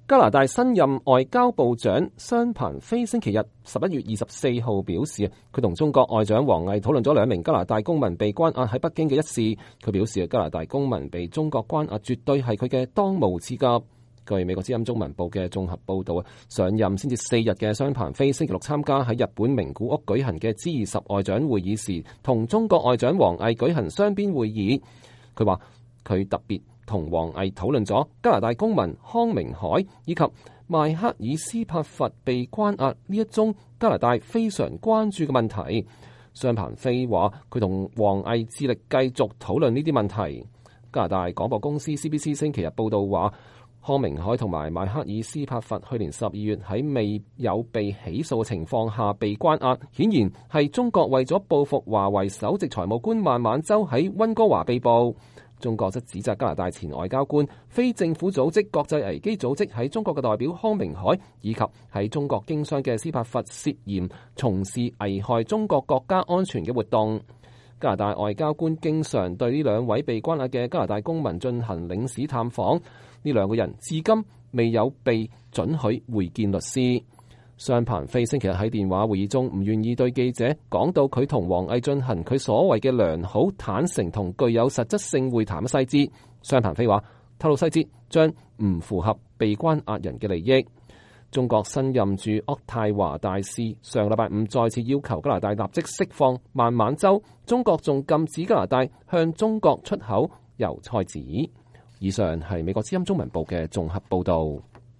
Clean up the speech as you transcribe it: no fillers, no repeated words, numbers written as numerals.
加拿大新任外交部長商鵬飛星期日11月24號表示，佢同中國外長王毅討論咗兩名加拿大公民被關押喺北京嘅一事。佢表示，加拿大公民被中國關押絕對係佢嘅當務之急。據美國之音中文報嘅綜合報導，上任先至4日嘅商鵬飛星期六參加喺日本名古屋舉行嘅 G20 外長會議時，同中國外長王毅舉行雙邊會議。佢話佢特別同王毅討論咗加拿大公民康明凱以及邁克爾斯帕弗被關押呢一宗加拿大非常關注嘅問題。商鵬飛話佢同王毅致力繼續討論呢啲問題。加拿大廣播公司 CBC 星期日報導話，康明凱同埋邁克爾斯帕弗去年12月喺未有被起訴嘅情況下被關押，顯然係中國為咗報復華為首席財務官孟晚舟喺溫哥華被捕。中國則指責加拿大前外交官、非政府組織國際危機組織喺中國嘅代表康明凱，以及喺中國經商嘅斯帕弗涉嫌從事危害中國國家安全嘅活動。加拿大外交官經常對呢兩位被關押嘅加拿大公民進行領事探訪，呢兩個人至今未有被准許會見律師。商鵬飛星期日喺電話會議中唔願意對記者講到佢同王毅進行佢所謂嘅良好、坦誠同具有實質性會談嘅細節。商鵬飛話透露細節將唔符合被關押人嘅利益。中國新任駐渥太華大使上禮拜五再次要求加拿大立即釋放孟晚舟，中國仲禁止加拿大向中國出口油菜籽。以上係美國之音中文部嘅綜合報導。